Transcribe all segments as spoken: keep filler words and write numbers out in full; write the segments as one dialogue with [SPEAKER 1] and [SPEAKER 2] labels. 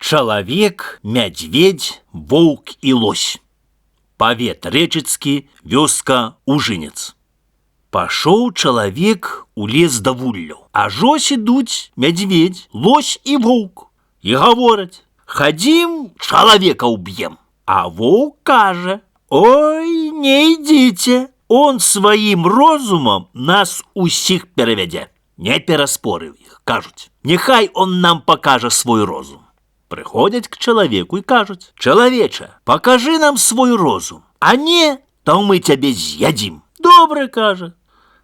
[SPEAKER 1] Чалавек, мядзведь, воўк і лось. Павет рэчыцкі, вёска Ужынец. Пашоў чалавек у лес да вулляў, а жось ідуць мядзведь, лось і воўк. І гавораць: «Хадзім, чалавека ўб'ем». А воўк кажа: «Ой, не ідзіце, он сваім розумам нас усіх перавядзе». Не пераспорыў іх, кажуць: «Няхай он нам пакажа свой розум». Прыходзяць к чалавеку і кажуць: «Чалавеча, пакажы нам свой розум, а не, то мы цябе з'ядзім». «Добра», кажа,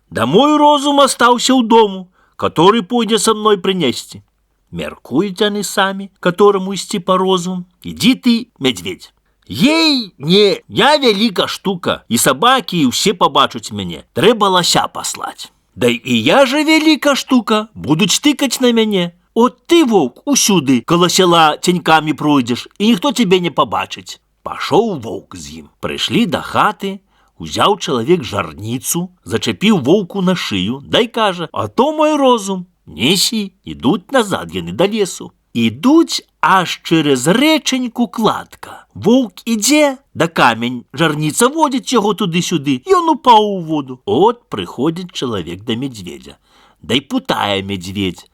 [SPEAKER 1] «да мой розум астаўся ў дому, который пойдзе са мной прынесці». Мяркуюць яны самі, которому ісці па розум. «Ідзі ты, мядзведь». «Ей, не, я вяліка штука, і сабакі, і ўсе пабачуць мяне, трэба лася паслаць». «Да і я же вяліка штука, будуць тыкаць на мяне». «От ты, воўк, усюды каля села ценькамі пройдзеш, і ніхто цябе не пабачыць». Пашоў воўк з ім. Прыйшлі да хаты, узяў чалавек жарніцу, зачапіў воўку на шыю, дай кажа: «А то мой розум». Несі, ідуць назад яны да лесу. Ідуць аж через рэчаньку кладка. Воўк ідзе, да камень жарніца водзіць яго туды-сюды, ён упаў у воду. От прыходзіць чалавек да мядзведзя. Дай пытае мядзведь: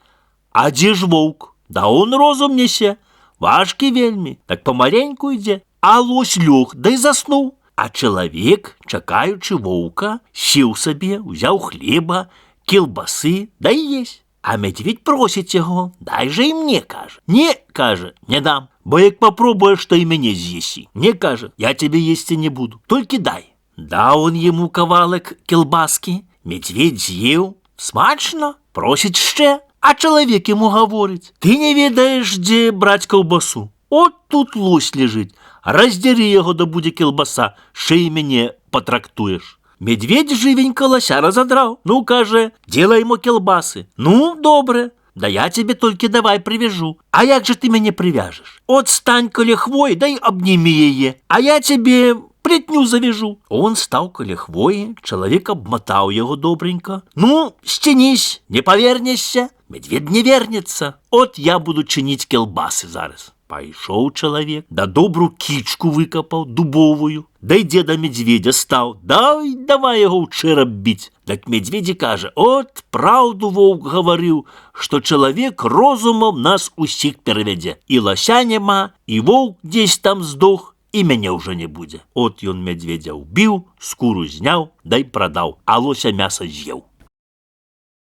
[SPEAKER 1] «А дзе ж воўк?» «Да он розум несе, важкі вельмі, так памаленьку ідзе». А лось лёг, дай заснуў. А чалавек, чакаючы воўка, сеў сабе, узяў хлеба, кілбасы, дай есть. А мядзведь просіць яго: «Дай же і мне», кажа. «Не», кажа, «не дам, бо як попробуеш, то і мяне з'есі». «Не», кажа, «я тебе есці не буду, толькі дай». Даў он яму кавалак кілбаскі, мядзведь з'еў. Смачна, просіць яшчэ. А чалавек яму гаворыць: «Ты не ведаеш, дзе браць каўбасу. От тут лось ляжыць, раздзяры яго, да будзе кілбаса, шэй мяне патрактуеш». Мядзведь жывенька лася разадраў. Ну, кажа, делай ему кілбасы. «Ну, добре, да я тебе толькі давай прывяжу». «А як же ты мяне прывяжаш?» «От стань каля хвоі, дай абнімі яе, а я тебе плетню завяжу». Он стаў каля хвоі, чалавек абматаў яго добренька. «Ну, сцянись, не павернешся». Мядзведь не вернецца. «От я буду чыніць кілбасы зараз». Пайшоў чалавек, да добру кічку выкапаў, дубовую. Дайдзе да мядзведзя стаў, дай давай яго ў чэрап біць. Так мядзведзі кажа: «От праўду воўк гаварыў, што чалавек розумам нас усіх перавядзе. І лася няма, і воўк дзесь там здох, і мяне ўжо не будзе». От ён мядзведзя ўбіў, скуру зняў, дай прадаў, а лося мяса з'еў.